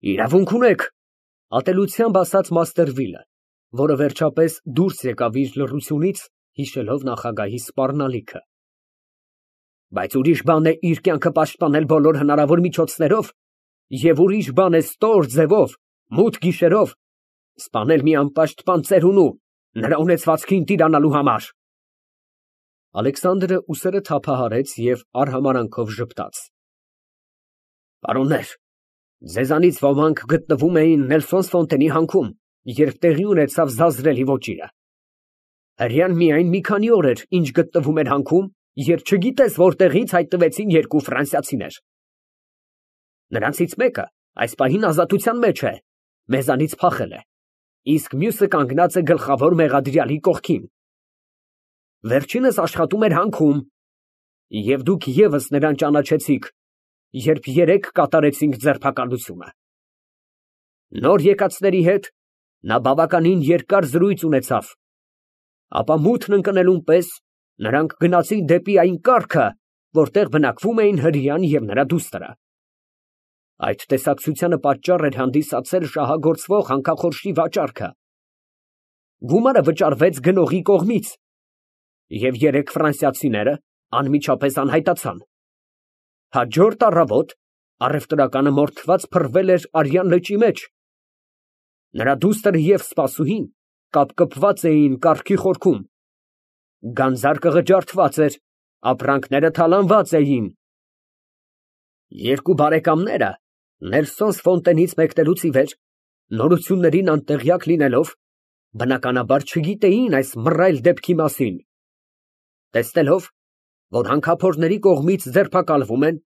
Իրավունք ունեք, ատելությամբ ասաց Մաստերվիլը, որը վերջապես դուրս եկավ իր լռությունից, հիշելով նախագահի սպառնալիքը։ Բայց ուրիշ բան է իր կյանքը պաշտպանել բոլոր հնարավոր միջոցներով, և ուրիշ բան է ստոր ձևով, մութ գիշերով սպանել մի անպաշտպան ծերունու նրա ունեցվածքին տիրանալու համար։ Ալեքսանդրը ուսերը թափահարեց և արհամարանքով ժպտաց։ Պարոններ, ձեզանից ոմանք գտնվում էին Նելսոնս֊Ֆոնտենի հանքում, երբ տեղի ունեցավ զազրելի ոճիրը։ Հրեան միայն մի քանի օր էր, ինչ գտնվում էր հանքում, երբ չգիտես որտեղից հայտնվեցին երկու ֆրանսիացիներ։ Նրանցից մեկը այս պահին ազատության մեջ է, մեզանից փախել է, իսկ մյուսը կանգնած է գլխավոր մեղադրյալի կողքին։ Վերջինս աշխատում էր հանքում, և դուք ևս նրան ճանաչեցիք, երբ երեկ կատարեցինք ձերբակալությունը։ Նոր եկածների հետ նա բավականին երկար զրույց ունեցավ, ապա մութն ընկնելուն պես նրանք գնացին դեպի այն կառքը, որտեղ բնակվում էին հրեան և նրա դուստրը։ Այդ տեսակցությանը պատճառ էր հանդիսացել շահագործվող հանքախորշի վաճառքը։ Գումարը վճարվեց գնողի կողմից, և երեք ֆրանսիացիները անմիջապես անհայտացան։ Հաջորդ առավոտ առևտրականը մորթված փռվել էր Արյան լճի մեջ։ Նրա դուստրը և սպասուհին կապկպված էին կառքի խորքում։ Գանձարկը ղջարդված էր, ապրանքները թալանված էին։ Երկու բարեկամները Նելսոնս֊Ֆոնտենից մեկնելուց ի վեր, նորություններին անտեղյակ լինելով, բնականաբար չգիտեին այս մռայլ դեպքի մասին։ Տեսնելով, որ հանքափորների կողմից ձերբակալվում են,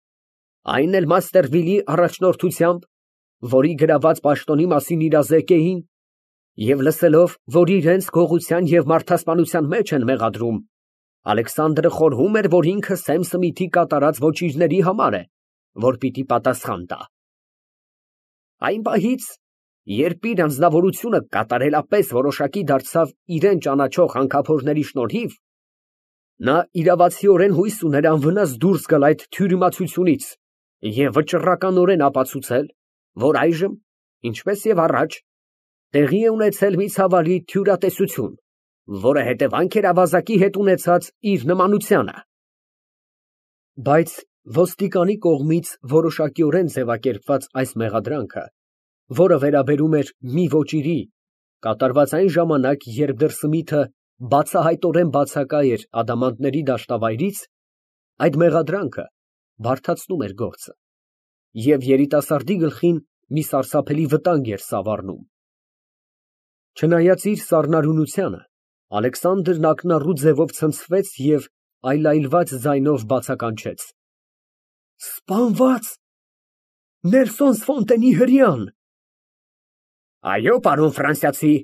այն էլ Մաստերվիլի առաջնորդությամբ, որի գրաված պաշտոնի մասին իրազեկ էին, և լսելով, որ իրենց գողության և մարդասպանության մեջ են մեղադրում, Ալեքսանդրը խորհում էր, որ ինքը Սեմ Սմիթի կատարած ոճիրների համար է, որ պիտի պատասխան տա։ Այն պահից, երբ իր անձնավորությունը կատարելապես որոշակի դարձավ իրան ճանաչող հանքափորների շնորհիվ, նա իրավացիորեն հույս ուներ անվնաս դուրս գալ այդ թյուրիմացությունից և վճռականորեն ապացուցել, որ այժմ, ինչպես և առաջ, տեղի է ունեցել մի ցավալի թյուրատեսություն, որը հետևանք էր ավազակի հետ ունեցած իր նմանությանը։ Բայց ոստիկանի կողմից որոշակիորեն ձևակերպված այս մեղադրանքը, որը վերաբերում էր մի ոճիրի, կատարված այն ժամանակ, երբ դեռ Սմիթը բացահայտորեն բացակա էր ադամանդների դաշտավայրից, այդ մեղադրանքը բարդացնում էր գործը և երիտասարդի գլխին մի սարսափելի վտանգ էր սավառնում։ Չնայած իր սառնարյունությանը, Ալեքսանդրն ակնառու ձևով ցնցվեց և այլայլված ձայնով բացականչեց. Սպանված… Նելսոնս֊Ֆոնտենի հրեան… Այո, պարոն ֆրանսիացի,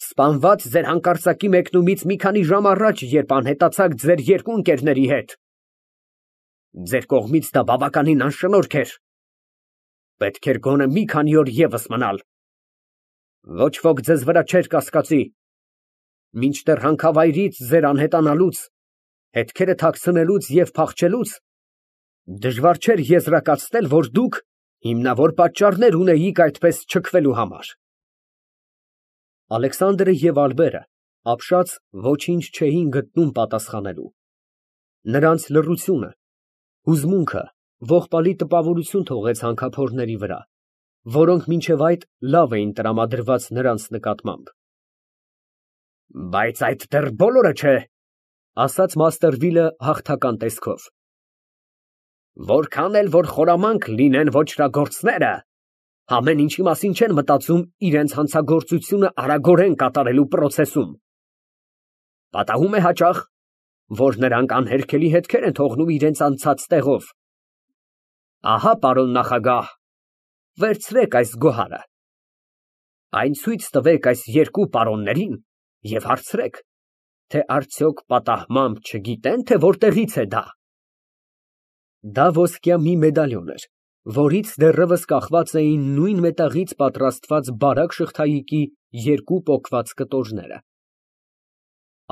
սպանված ձեր հանկարծակի մեկնումից մի քանի ժամ առաջ, երբ անհետացաք ձեր երկու ընկերների հետ։ Ձեր կողմից դա բավականին անշնորհք էր. պետք էր գոնե մի քանի օր ևս մնալ։ Ոչ ոք ձեզ վրա չէր կասկածի։ Մինչդեռ հանքավայրից ձեր անհետանալուց, հետքերը թաքցնելուց և փախչելուց դժվար չէր եզրակացնել, որ դուք հիմնավոր պատճառներ ունեիք այդպես չքվելու համար։ Ալեքսանդրը և Ալբերը ապշած ոչինչ չէին գտնում պատասխանելու։ Նրանց լռությունը, հուզմունքը ողբալի տպավորություն թողեց հանքափորների վրա, որոնք մինչև այդ լավ էին տրամադրված նրանց նկատմամբ։ Բայց այդ դեռ բոլորը չէ, ասաց Մաստերվիլը հաղթական տեսքով։ Որքան էլ որ խորամանկ լինեն ոճրագործները, ամեն ինչի մասին չեն մտածում իրենց հանցագործությունը արագորեն կատարելու պրոցեսում։ Պատահում է հաճախ, որ նրանք անհերքելի հետքեր են թողնում իրենց անցած տեղով։ Ահա, պարոն նախագահ, վերցրեք այս գոհարը։ Այն ցույց տվեք այս երկու պարոններին և հարցրեք, թե արդյոք պատահմամբ չգիտեն, թե որտեղից է դա։ Դա ոսկյա մի մեդալիոն էր, որից դեռևս կախված էին նույն մետաղից պատրաստված բարակ շղթայիկի երկու պոկված կտորները։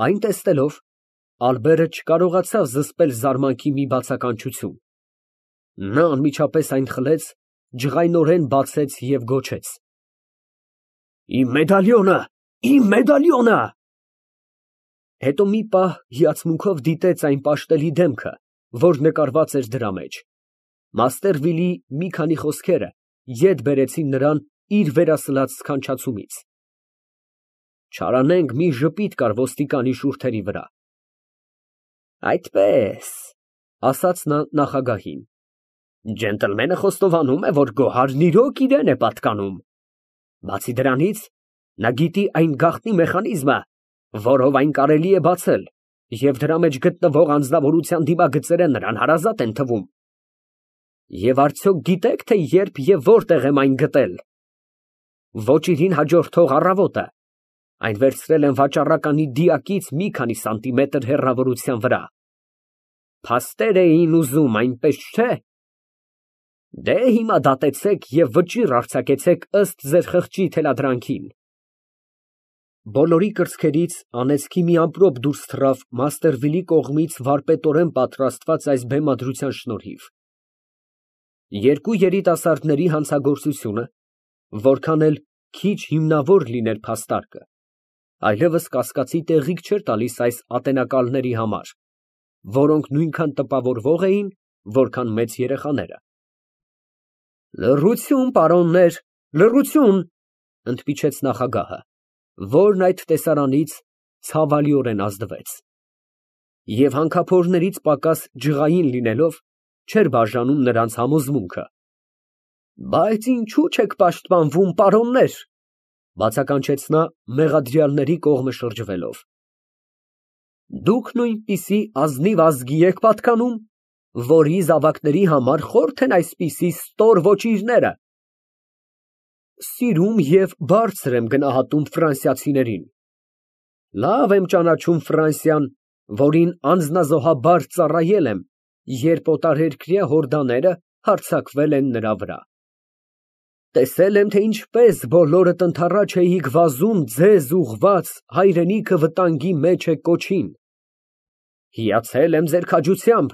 Այն տեսնելով, Ալբերը չկարողացավ զսպել զարմանքի մի բացականչություն։ Նա անմիջապես այն խլեց ջղայնորեն բացեց և գոչեց. Իմ մեդալյոնը, իմ մեդալյոնը։ Հետո մի պահ հիացմունքով դիտեց այն պաշտելի դեմքը, որ նկարված էր դրա մեջ։ Մաստերվիլի մի քանի խոսքերը ետ բերեցին նրան իր վերասլած սքանչացումից։ Չարանենգ մի ժպիտ կար ոստիկանի շուրթերի վրա։ Այդպես, ասաց նա նախագահին, ջենտլմենը խոստովանում է, որ գոհարն իրոք իրան է պատկանում։ Բացի դրանից, նա գիտի այն գաղտնի մեխանիզմը, որով այն կարելի է բացել, և դրա մեջ գտնվող անձնավորության դիմագծերը նրան հարազատ են թվում։ Եվ արդյոք գիտեք, թե երբ և որտեղ եմ այն գտել։ Ոչ իրին հաջորդող առավոտը, այն վերցրել եմ վաճառականի դիակից մի քանի սանտիմետր հեռավորության վրա։ Փաստեր էին ուզում, այնպես չէ։ Դե հիմա դատեցեք և վճիռ արձակեցեք ըստ ձեր խղճի թելադրանքին։ Բոլորի կրծքերից անեծքի մի ամպրոպ դուրս թռավ Մաստերվիլի կողմից վարպետորեն պատրաստված այս բեմադրության շնորհիվ։ Երկու երիտասարդների հանցագործությունը, որքան էլ քիչ հիմնավոր լիներ փաստարկը, այլևս կասկածի տեղիք չէր տալիս այս ատենակալների համար, որոնք նույնքան տպավորվող էին, որքան մեծ երեխաները։ Լռություն, պարոններ, լռություն, ընդմիջեց նախագահը, որն այդ տեսարանից ցավալիորեն ազդվեց։ Եվ հանքափորներից պակաս ջղային լինելով, չէր բաժանում նրանց համոզմունքը։ Բայց ինչու չեք պաշտպանվում, պարոններ, բացականչեց նա մեղադրյալների կողմը շրջվելով։ Դուք նույնպիսի ազնիվ ազգի եք պատկանում, որի զավակների համար խորթ են այսպիսի ստոր ոճիրները։ Սիրում և բարձր եմ գնահատում ֆրանսիացիներին։ Լավ եմ ճանաչում Ֆրանսիան, որին անձնազոհաբար ծառայել եմ, երբ օտարերկրյա հորդաները հարձակվել են նրա վրա։ Տեսել եմ, թե ինչպես բոլորդ ընդառաջ էիք վազում ձեզ ուղղված հայրենիքը վտանգի մեջ է կոչին։ Հիացել եմ ձեր քաջությամբ,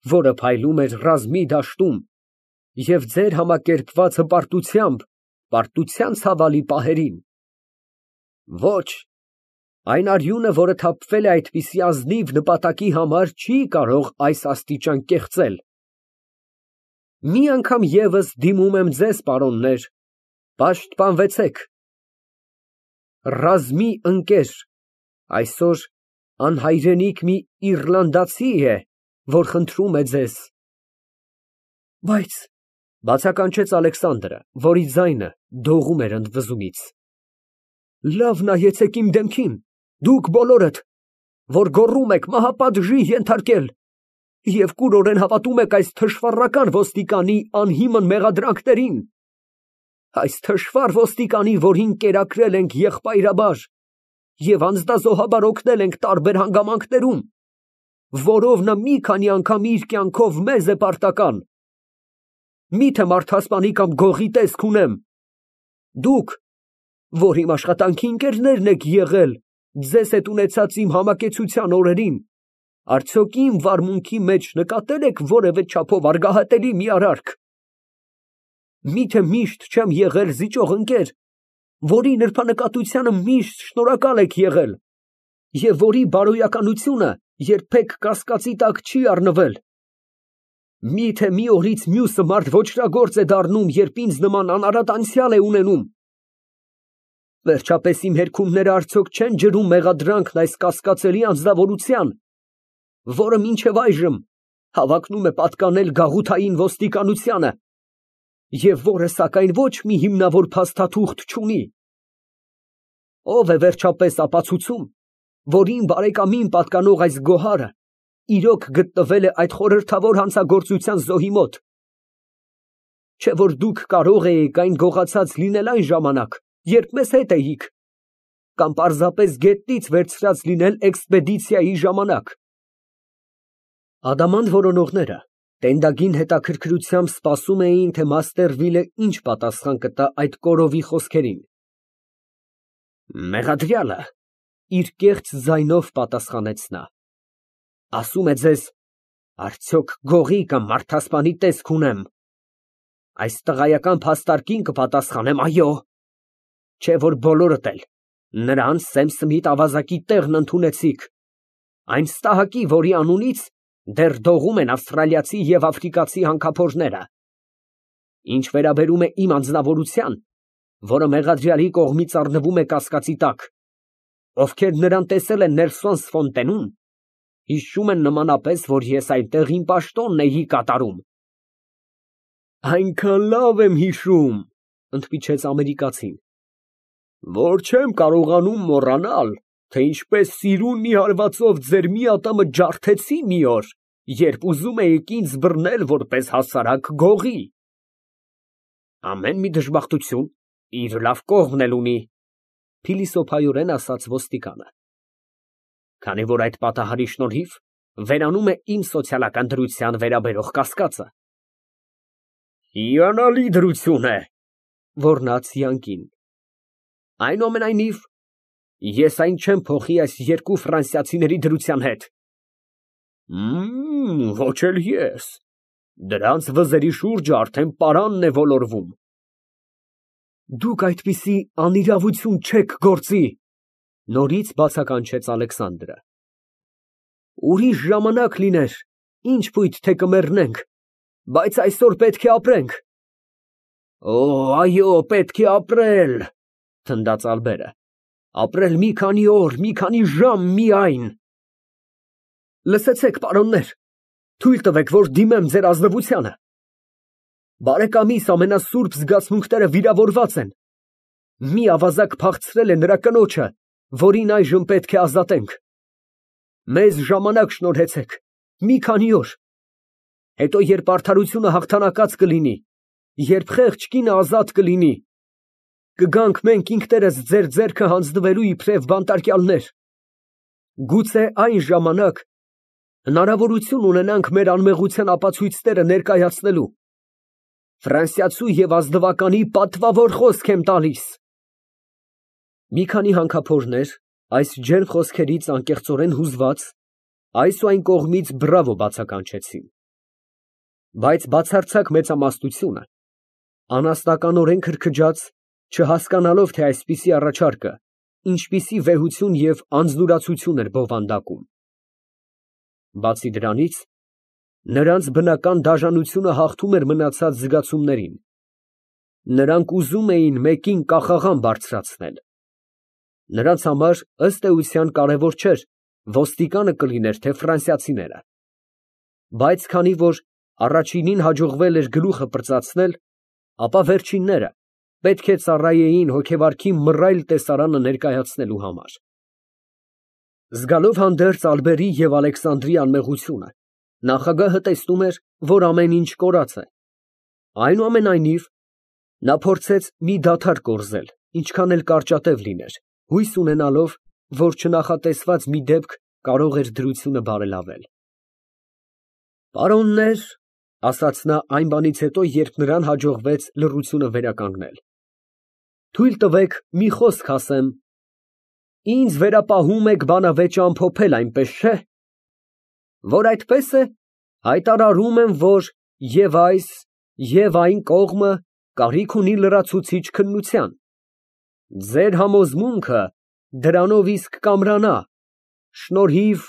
որը փայլում էր ռազմի դաշտում, և ձեր համակերպված հպարտությամբ պարտության ցավալի պահերին։ Ոչ, այն արյունը, որը թափվել է այդպիսի ազնիվ նպատակի համար, չի կարող այս աստիճան կեղծել։ Մի անգամ ևս դիմում եմ ձեզ, պարոններ, պաշտպանվեցեք։ Ռազմի ընկեր, այսօր անհայրենիք մի իռլանդացի է, որ խնդրում է ձեզ։ Բայց, բացականչեց Ալեքսանդրը, որի ձայնը դողում էր ընդվզումից, լավ նայեցեք իմ դեմքին, դուք բոլորդ, որ գոռում եք մահապատժի ենթարկել, և կուրորեն հավատում եք այս թշվառական ոստիկանի անհիմն մեղադրանքներին, այս թշվառ ոստիկանի, որին կերակրել ենք եղբայրաբար և անձնազոհաբար օգնել ենք տարբեր հանգամանքներում, որով նա մի քանի անգամ իր կյանքով մեզ է պարտական։ Մի՞թե մարդասպանի կամ գողի տեսք ունեմ։ Դուք, որ իմ աշխատանքի ընկերներն եք եղել ձեզ հետ ունեցած իմ համակեցության օրերին, արդյոք իմ վարմունքի մեջ նկատել եք որևէ չափով արգահատելի մի արարք։ Միթե միշտ չեմ եղել զիջող ընկեր, որի նրբանկատությանը միշտ շնորհակալ եք եղել, և որի բարոյականությունը երբեք կասկածի տակ չի առնվել։ Միթե մի օրից մյուսը մարդ ոճրագործ է դառնում, երբ ինձ նման անարատ անցյալ է ունենում։ Վերջապես իմ հերքումները արդյոք չեն ջրում մեղադրանքն այս կասկածելի անձնավորության, որը մինչև այժմ հավակնում է պատկանել գաղութային ոստիկանությանը, և որը սակայն ոչ մի հիմնավոր փաստաթուղթ չունի։ Ո՞վ է վերջապես ապացուցում, որ իմ բարեկամին պատկանող այս գոհարը իրոք գտնվել է այդ խորհրդավոր հանցագործության զոհի մոտ։ Չէ՞ որ դուք կարող էիք այն գողացած լինել այն ժամանակ, երբ մեզ հետ էիք, կամ պարզապես գետնից վերցրած լինել էքսպեդիցիայի ժամանակ։ Ադամանդ որոնողները տենդագին հետաքրքրությամբ սպասում էին, թե Մաստերվիլը ինչ պատասխան կտա այդ կորովի խոսքերին։ Մեղադրյալը իր կեղծ ձայնով պատասխանեց նա, ասում է ձեզ, արդյոք գողի կամ մարդասպանի տեսք ունեմ։ Այս տղայական փաստարկին կպատասխանեմ այո, չէ որ բոլորդ էլ նրան Սեմ Սմիթ ավազակի տեղն ընդունեցիք, այն ստահակի, որի անունից դեռ դողում են ավստրալիացի և աֆրիկացի հանքափորները։ Ինչ վերաբերում է իմ անձնավորության, որը մեղադրյալի կողմից առնվում է կասկածի տակ, ովքեր նրան տեսել են Նելսոն Ֆոնտենում, հիշում են նմանապես, որ ես այնտեղ իմ պաշտոնն էի կատարում։ Այնքան լավ եմ հիշում, ընդմիջեց ամերիկացին, որ չեմ կարողանում մոռանալ, թե ինչպես սիրուն մի հարվածով ձեր մի ատամը ջարդեցի մի օր, երբ ուզում էիք ինձ բռնել որպես հասարակ գողի։ Ամեն մի դժբախտություն իր լավ կողմն էլ ունի, փիլիսոփայորեն ասաց ոստիկանը։ Քանի որ այդ պատահարի շնորհիվ վերանում է իմ սոցիալական դրության վերաբերող կասկածը։ Հիանալի դրություն է, ոռնաց յանկին։ Այնուամենայնիվ, ես այն չեմ փոխի այս երկու ֆրանսիացիների դրության հետ։ Ոչ էլ ես, դրանց վզերի շուրջը արդեն պարանն է ոլորվում։ Դուք այդպիսի անիրավություն չեք գործի, նորից բացականչեց Ալեքսանդրը։ Ուրիշ ժամանակ լիներ, ինչ պույտ թե կմեռնենք, բայց այսօր պետք է ապրենք։ Օ, այո, պետք է ապրել, թնդաց Ալբերը, ապրել մի քանի օր, մի քանի ժամ միայն։ Լսեցեք, պարոններ, թույլ տվեք, որ դիմեմ ձեր ազնվությանը։ Բարեկամիս ամենասուրբ զգացմունքները վիրավորված են։ Մի ավազակ փախցրել է նրա կնոջը, որին այժմ պետք է ազատենք։ Մեզ ժամանակ շնորհեցեք, մի քանի օր։ Հետո, երբ արդարությունը հաղթանակած կլինի, երբ խեղճ կինը ազատ կլինի, կգանք մենք ինքներս ձեր ձեռքը հանձնվելու իբրև բանտարկյալներ։ Գուցե այն ժամանակ հնարավորություն ունենանք մեր անմեղության ապացույցները ներկայացնելու։ Ֆրանսիացու և ազնվականի պատվավոր խոսք եմ տալիս։ Մի քանի հանքափորներ, այս ջերմ խոսքերից անկեղծորեն հուզված, այս ու այն կողմից բրավո բացականչեցին։ Բայց բացարձակ մեծամասնությունը, անասնականորեն քրքջաց, չհասկանալով, թե այսպիսի առաջարկը ինչպիսի վեհություն և անձնուրացություն էր բովանդակում։ Բացի դրանից, նրանց բնական դաժանությունը հաղթում էր մնացած զգացումներին։ Նրանք ուզում էին մեկին կախաղան բարձրացնել։ Նրանց համար, ըստ էության, կարևոր չէր ոստիկանը կլիներ, թե ֆրանսիացիները։ Բայց քանի որ առաջինին հաջողվել էր գլուխը պրծացնել, ապա վերջինները պետք է ծառայեին հոգեվարքի մռայլ տեսարանը ներկայացնելու համար։ Զգալով հանդերձ Ալբերի և Ալեքսանդրի անմեղությունը, նախագահը տեսնում էր, որ ամեն ինչ կորած է։ Այնուամենայնիվ, նա փորձեց մի դադար կորզել, ինչքան էլ կարճատև լիներ, հույս ունենալով, որ չնախատեսված մի դեպք կարող էր դրությունը բարելավել։ Պարոններ, ասաց նա այն բանից հետո, երբ նրան հաջողվեց լռությունը վերականգնել, թույլ տվեք մի խոսք ասեմ։ Ինձ վերապահում եք բանավեճը ամփոփել, այնպես չէ՞։ Որ այդպես է, հայտարարում եմ, որ և այս, և այն կողմը կարիք ունի լրացուցիչ քննության։ Ձեր համոզմունքը դրանով իսկ կամրանա, շնորհիվ…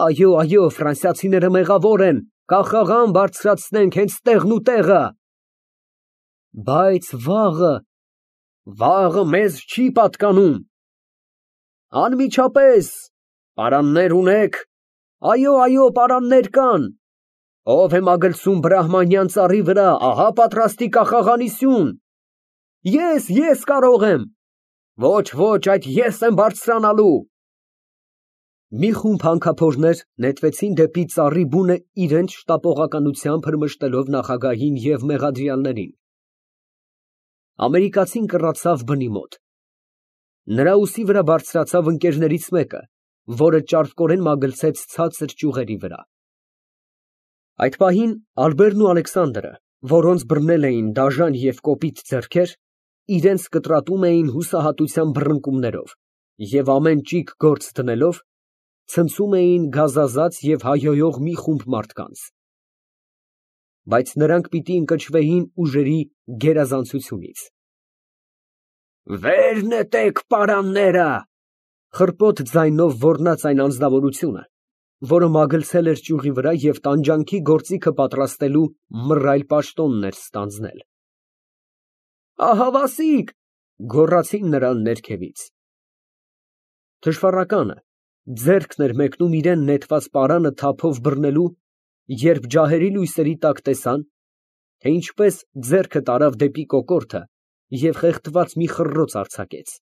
Այո, այո, ֆրանսիացիները մեղավոր են, կախաղան բարձրացնենք հենց տեղն ու տեղը։ Բայց վաղը մեզ չի պատկանում։ Անմիջապես, պարաններ ունեք։ Այո, այո, պարաններ կան։ Ով է մագլցում բրահմանյան ծառի վրա, ահա պատրաստի կախաղանի սյուն։ Ես կարող եմ։ Ոչ, այդ ես եմ բարձրանալու։ Մի խումբ հանքափորներ նետվեցին դեպի ծառի բունը իրենց շտապողականությամբ հրմշտելով նախագահին և մեղադրյալներին։ Ամերիկացին կռացավ բնի մոտ։ Նրա ուսի վրա բարձրացավ ընկերներից մեկը, որը ճարպկորեն մագլցեց ցածր ճյուղերի վրա։ Այդ պահին Ալբերն ու Ալեքսանդրը, որոնց բռնել էին դաժան և կոպիտ ձեռքեր, իրենց կտրատում էին հուսահատության բռնկումներով և ամեն ճիգ գործ դնելով, ցնցում էին գազազած և հայհոյող մի խումբ մարդկանց։ բայց նրանք պիտի ընկճվեին ուժերի գերազանցությունից։ «Վեր նետեք պարանները», խռպոտ ձայնով ոռնաց այն անձնավորությունը, որը մագլցել էր ճյուղի վրա և տանջանքի գործիքը պատրաստելու մռայլ պաշտոնն էր ստանձնել։ «Ահավասիկ», գոռացին նրան ներքևից։ Թշվառականը ձեռքն էր մեկնում իրան նետված պարանը թափով բռնելու, երբ ջահերի լույսերի տակ տեսան, թե ինչպես ձեռքը տարավ դեպի կոկորդը և խեղդված մի խռռոց արձակեց։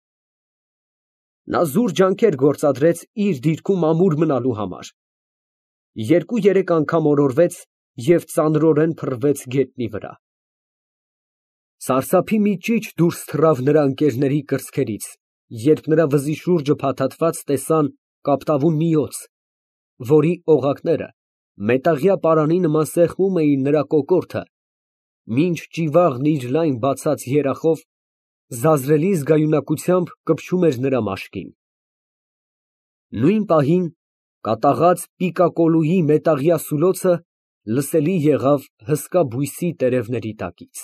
Նա զուր ջանքեր գործադրեց իր դիրքում ամուր մնալու համար, երկու֊երեք անգամ օրորվեց և ծանրորեն փռվեց գետնի վրա։ Սարսափի մի ճիչ դուրս թռավ նրա ընկերների կրծքերից, երբ նրա վզի շուրջը փաթաթված տեսան կապտավուն մի օձ, որի օղակները մետաղյա պարանի նման սեղմում էին նրա կոկորդը, մինչ ճիվաղն իր լայն բացած երախով զազրելի զգայունակությամբ կպչում էր նրա մաշկին։ Նույն պահին կատաղած պիկակոլուի մետաղյա սուլոցը լսելի եղավ հսկա բույսի տերևների տակից։